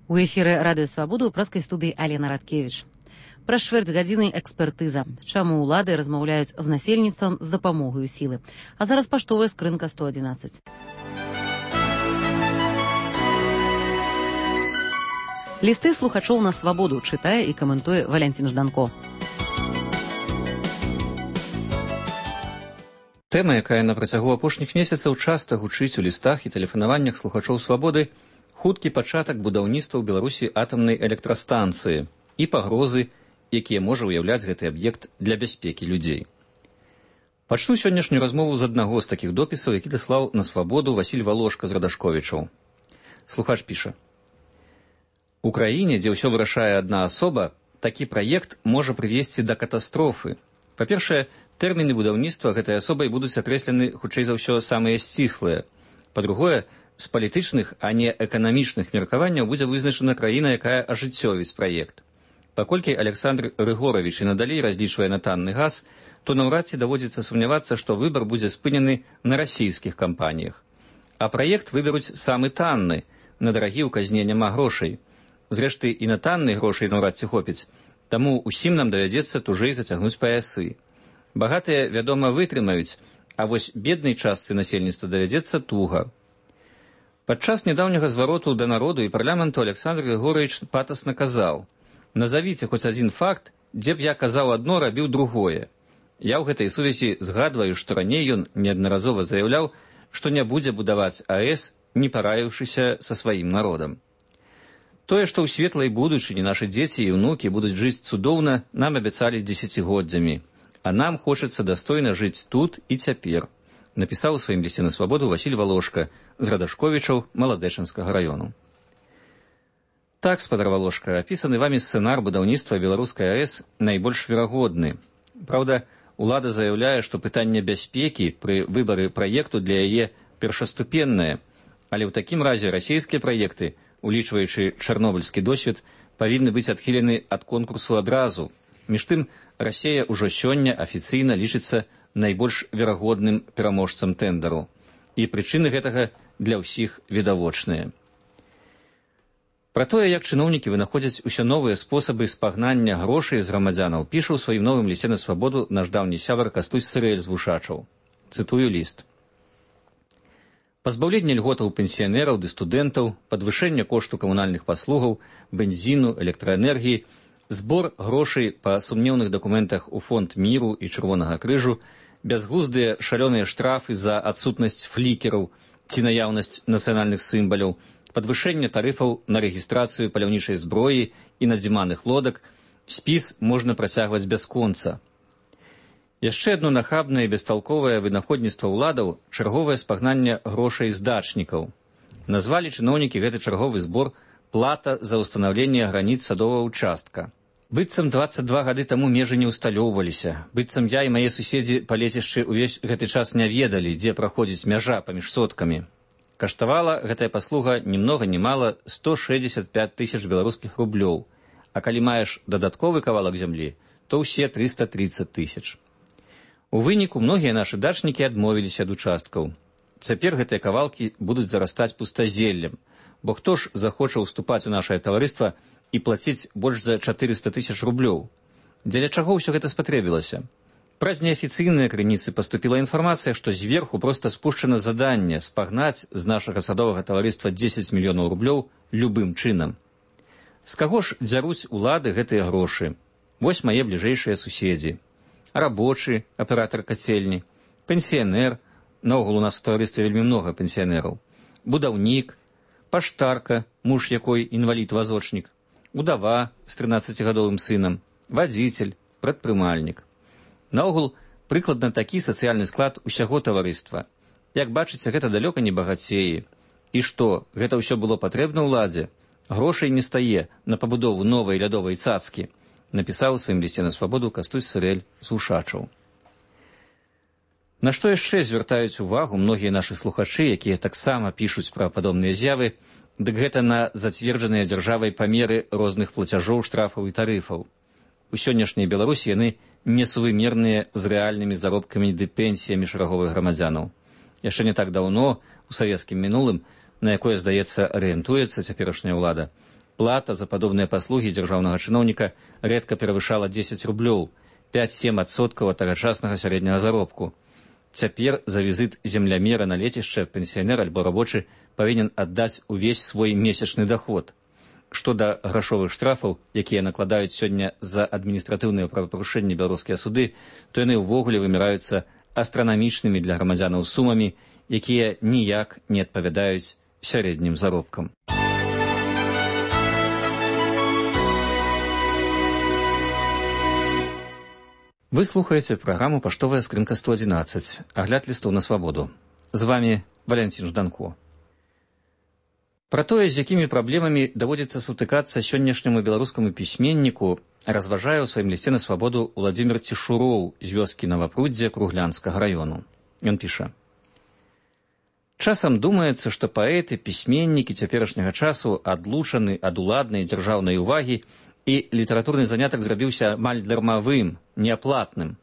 У эфіры радыё Свабода ў праскай студыі Алена Радкевіч. Праз чвэрць гадзіны экспертыза. Чаму ўлады размаўляюць з насельніцтвам з дапамогаю сілы. А зараз паштовая скрынка 111. Лісты слухачоў на Свабоду чытае і каментуе Валянцін Жданко. Тэма, якая на працягу апошніх месяцаў часта гучыць у лістах і тэлефанаваннях слухачоў Свабоды, хуткі пачатак будаўніцтва ў Беларусі атамнай электрастанцыі і пагрозы, якія можа ўяўляць гэты аб'ект для бяспекі людзей. Пачну сённяшнюю размову з аднаго з такіх допісаў, які даслаў на Свабоду Васіль Валошка з Радашковічаў. Слухач піша: «У краіне, дзе ўсё вырашае адна асоба, такі праект можа прывесці да катастрофы. Па-першае, тэрміны будаўніцтва гэтай асобай будуць акрэслены, хутчэй за ўсё, самыя сціслыя. Па-другое, з палітычных, а не эканамічных меркаванняў будзе вызначана краіна, якая ажыццёвіць праект. Паколькі Александр Рыгорович і надалей разлічвае на танны газ, то наўрад ці даводзіцца сумнявацца, што выбар будзе спынены на расійскіх кампаніях. А праект выберуць самы танны, на дарагі ў казне няма грошай. Зрэшты, і на танны грошай наўрад ці хопіць, таму ўсім нам давядзецца тужэй зацягнуць паясы. Багатыя, вядома, вытрымаюць, а вось беднай частцы насельніцтва давядзецца туга». Падчас нядаўняга звароту да народу і парламенту Александр Григорович патасна казаў: «Назавіце хоць адзін факт, дзе б я казаў адно, рабіў другое». Я ў гэтай сувязі згадваю, што раней ён неаднаразова заяўляў, што не будзе будаваць АЭС, не параіўшыся са сваім народам. Тое, што ў светлай будучыні нашы дзеці і ўнукі будуць жыць цудоўна, нам абяцалі дзесяцігоддзямі, а нам хочацца дастойна жыць тут і цяпер, напісаў у сваім лісце на Свабоду Васіль Валошка з Радашковічаў Маладэчынскага раёну. Так, спадар Валошка, апісаны вамі сцэнар будаўніцтва беларускай АЭС найбольш верагодны. Праўда, улада заяўляе, што пытанне бяспекі пры выбары праекту для яе першаступеннае, але ў такім разе расійскія праекты, улічваючы чарнобыльскі досвед, павінны быць адхілены ад конкурсу адразу. Між тым, Расія ўжо сёння афіцыйна лічыцца найбольш верагодным пераможцам тэндару. І прычыны гэтага для ўсіх відавочныя. Пра тое, як чыноўнікі вынаходзяць усё новыя спосабы спагнання грошай з грамадзянаў, піша ў сваім новым лісце на Свабоду наш даўні сябар Кастусь Сырэль з Вушачаў. Цытую ліст. «Пазбаўленне льготаў пенсіянераў ды студэнтаў, падвышэнне кошту камунальных паслугаў, бензіну, электраэнергіі, збор грошай па сумнеўных дакументах у фонд міру і Чырвонага крыжу, бязглуздыя шалёныя штрафы за адсутнасць флікераў ці наяўнасць нацыянальных сімваляў, падвышэнне тарыфаў на рэгістрацыю паляўнічай зброі і надзіманых лодак, спіс можна працягваць бясконца. Яшчэ адно нахабнае і бесталковае вынаходніцтва ўладаў – чарговае спагнанне грошай з дачнікаў. Назвалі чыноўнікі гэты чарговы збор «плата за ўстанаўленне граніц садовага ўчастка». Быццам 22 гады таму межы не ўсталёўваліся, быццам я і мае суседзі па лецішчы ўвесь гэты час не ведалі, дзе праходзіць мяжа паміж соткамі. Каштавала гэтая паслуга ні многа ні мала 165 тысяч беларускіх рублёў, а калі маеш дадатковы кавалак зямлі, то ўсе 330 тысяч. У выніку многія нашы дачнікі адмовіліся ад участкаў. Цяпер гэтыя кавалкі будуць зарастаць пустазеллем, бо хто ж захоча ўступаць у нашае таварыства і плаціць больш за 400 тысяч рублёў? Дзеля чаго ўсё гэта спатрэбілася? Праз неафіцыйныя крыніцы паступіла інфармацыя, што зверху проста спушчана заданне спагнаць з нашага садовага таварыства 10 мільёнаў рублёў любым чынам. З каго ж дзяруць улады гэтыя грошы? Вось мае бліжэйшыя суседзі. Рабочы, аператар кацельні, пенсіянер, наогул у нас у таварыстве вельмі многа пенсіянераў, будаўнік, паштарка, муж якой інвалід-вазочнік, удава з 13гадовым сынам, вадзіцель, прадпрымальнік. Наогул, прыкладна такі сацыяльны склад усяго таварыства. Як бачыце, гэта далёка не багацеі. І што, гэта ўсё было патрэбна ўладзе? Грошай не стае на пабудову новай лядовай цацкі, напісаў у сваім лісце на Свабоду Кастусь Сырэль з Вушачаў. На што яшчэ звяртаюць увагу многія нашы слухачы, якія таксама пішуць пра падобныя з'явы, дык гэта на зацверджаныя дзяржавай памеры розных плацяжоў, штрафаў і тарыфаў. У сённяшняй Беларусі яны несувымерныя з рэальнымі заробкамі ды пенсіямі шараговых грамадзянаў. Яшчэ не так даўно, у савецкім мінулым, на якое, здаецца, арыентуецца цяперашняя ўлада, Плата за падобныя паслугі дзяржаўнага чыноўніка рэдка перавышала 10 рублёў, 5-7% ад тагачаснага сярэдняга заробку. Цяпер за візіт землямера на лецішча пенсіянер альбо рабочы павінен аддаць увесь свой месячны даход. Што да грашовых штрафаў, якія накладаюць сёння за адміністратыўныя правапарушэнні беларускія суды, то яны ўвогуле выміраюцца астранамічнымі для грамадзянаў сумамі, якія ніяк не адпавядаюць сярэднім заробкам. Вы слухаеце праграму «Паштовая скрынка 111», агляд лістоў на свабоду. З вами Валянцін Жданко. Пра тое, з якімі праблемамі даводзіцца сутыкацца сённяшняму беларускаму пісьменніку, разважае ў сваім лісце на свабоду Уладзімір Цішуроў з вёскі Навапруддзе Круглянскага раёну. Ён піша: «Часам думаецца, што паэты, пісьменнікі цяперашняга часу адлучаны ад уладнай дзяржаўнай увагі, і літаратурны занятак зрабіўся амаль дармавым, неаплатным.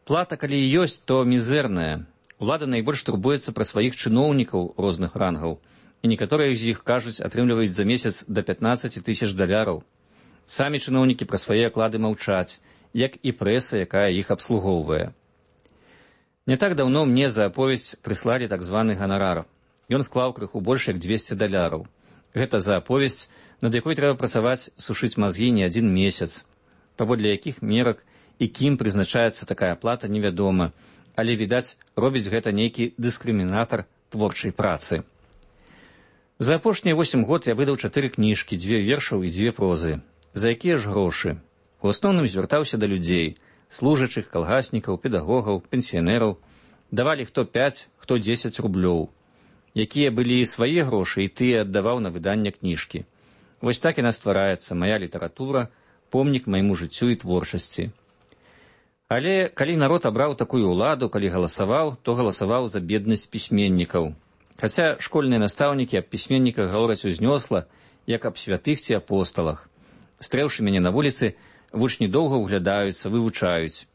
Плата, калі і ёсць, то мізэрная. Улада найбольш турбуецца пра сваіх чыноўнікаў розных рангаў, і некаторыя з іх, кажуць, атрымліваюць за месяц да 15 000 даляраў. Самі чыноўнікі пра свае аклады маўчаць, як і прэса, якая іх абслугоўвае. Не так даўно мне за аповесць прыслалі так званы ганарар. Ён склаў крыху больш як 200 даляраў. Гэта за аповесць, над якой трэба працаваць, сушыць мазгі не адзін месяц. Паводле якіх мерак і кім прызначаецца такая плата, невядома, але, відаць, робіць гэта нейкі дыскрымінатар творчай працы. За апошнія 8 год я выдаў 4 кніжкі, 2 вершаў і 2 прозы. За якія ж грошы? У асноўным звяртаўся да людзей, служачых, калгаснікаў, педагогаў, пенсіянераў. Давалі хто 5, хто 10 рублёў. Якія былі і свае грошы, і тыя аддаваў на выданне кніжкі. Вось так яна ствараецца, мая літаратура, помнік майму жыццю і творчасці. Але калі народ абраў такую ўладу, калі галасаваў, то галасаваў за беднасць пісьменнікаў. Хаця школьныя настаўнікі аб пісьменніках гавораць узнёсла, як аб святых ці апосталах. Стрэўшы мяне на вуліцы, вучні доўга ўглядаюцца, вывучаюць.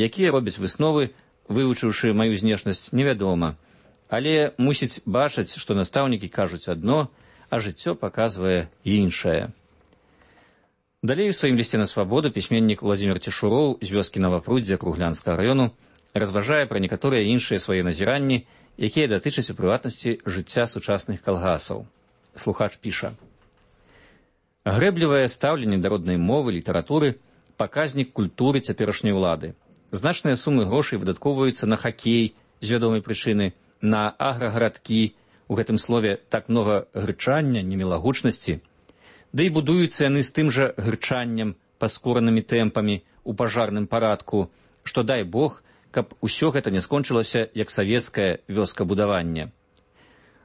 Якія робяць высновы, вывучыўшы маю знешнасць, невядома. Але мусіць бачыць, што настаўнікі кажуць адно, а жыццё паказвае іншае. Далей у сваім лісце на свабоду пісьменнік Уладзімір Цішуроў з вёскі Навапруддзя Круглянскага раёну разважае пра некаторыя іншыя свае назіранні, якія датычаць у прыватнасці жыцця сучасных калгасаў. Слухач піша: «Грэблівае стаўленне да роднай мовы, літаратуры – паказнік культуры цяперашняй улады. Значныя сумы грошай выдаткоўваюцца на хакей з вядомай прычыны, на аграгарадкі, у гэтым слове так многа грычання, немілагучнасці. Да і будуюцца яны з тым жа грычаннем, паскоранымі тэмпамі, у пажарным парадку, што дай Бог, каб усё гэта не скончылася, як савецкае вёскабудаванне.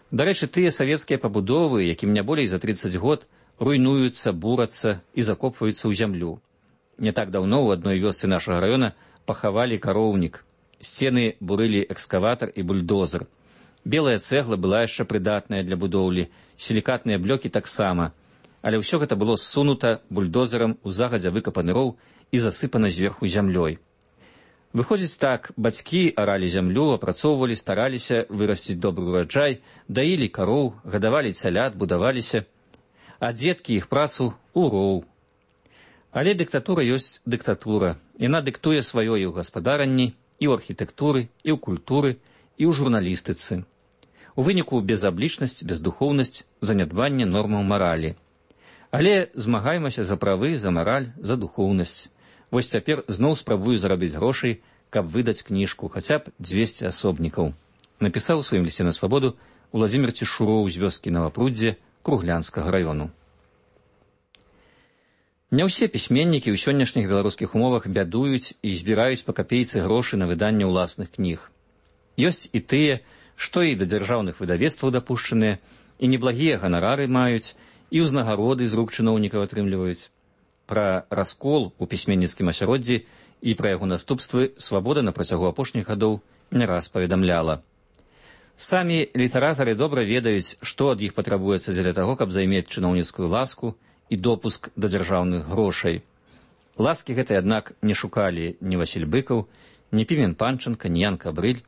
Дарэчы, тыя савецкія пабудовы, якім не болей за 30 год, руйнуюцца, бурацца і закопваюцца ў зямлю. Не так даўно ў адной вёсцы нашага раёна пахавалі кароўнік. Сцены бурылі экскаватар і бульдозер. Белая цэгла была яшчэ прыдатная для будоўлі, сілікатныя блёкі таксама, але ўсё гэта было ссунута бульдозерам у загадзя выкапаны роў і засыпана зверху зямлёй. Выходзіць так, бацькі аралі зямлю, апрацоўвалі, стараліся вырасціць добры ураджай, даілі кароў, гадавалі цялят, будаваліся, а дзеткі іх працу ў роў. Але дыктатура ёсць дыктатура. Яна дыктуе сваё і ў гаспадаранні, і ў архітэктуры, і ў культуры, і ў журналістыцы. У выніку безаблічнасць, бездухоўнасць, занядбанне нормаў маралі. Але змагаймася за правы, за мараль, за духоўнасць. Вось цяпер зноў спрабую зарабіць грошай, каб выдаць кніжку, хаця б 200 асобнікаў. Напісаў у сваім лісце на свабоду Уладзімір Цішуроў з вёскі Навапруддзе Круглянскага раёну. Не ўсе пісьменнікі ў сённяшніх беларускіх умовах бядуюць і збіраюць па капейцы грошы на выданне ўласных кніг. Ёсць і тыя, што і да дзяржаўных выдавецтваў дапушчаныя, і неблагія ганарары маюць, і ўзнагароды з рук чыноўнікаў атрымліваюць. Пра раскол у пісьменніцкім асяроддзі і пра яго наступствы свабода на працягу апошніх гадоў не раз паведамляла. Самі літаратары добра ведаюць, што ад іх патрабуецца дзеля таго, каб займець чыноўніцкую ласку і допуск да дзяржаўных грошай. Ласкі гэтай, аднак, не шукалі ні Васіль Быкаў, ні Пімен Панченка, ні Ян Кабрыль.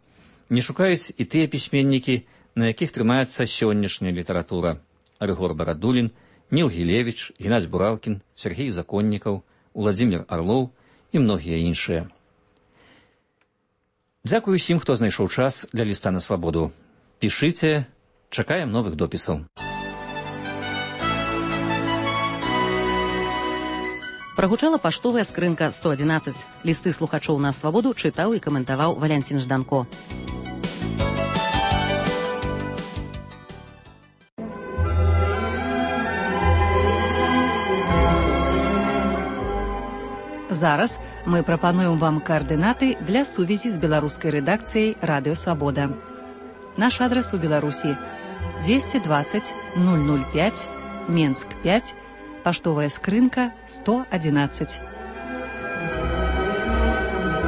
Не шукаюць і тыя пісьменнікі, на якіх трымаецца сённяшняя літаратура. Рыгор Барадулін, Ніл Гілевіч, Геннадзь Бураўкін, Сергей Законнікаў, Уладзімір Арлоў і многія іншыя. Дзякую усім, хто знайшоў час для ліста на свабоду. Пішыце, чакаем новых допісаў. Прагучала паштовая скрынка 111. Лісты слухачоў на свабоду чытаў і каментаваў Валянцін Жданко. Зараз мы прапануем вам каардынаты для сувязі з беларускай рэдакцыяй Радыё Свабода. Наш адрас у Беларусі 220 005, Менск 5, паштовая скрынка 111.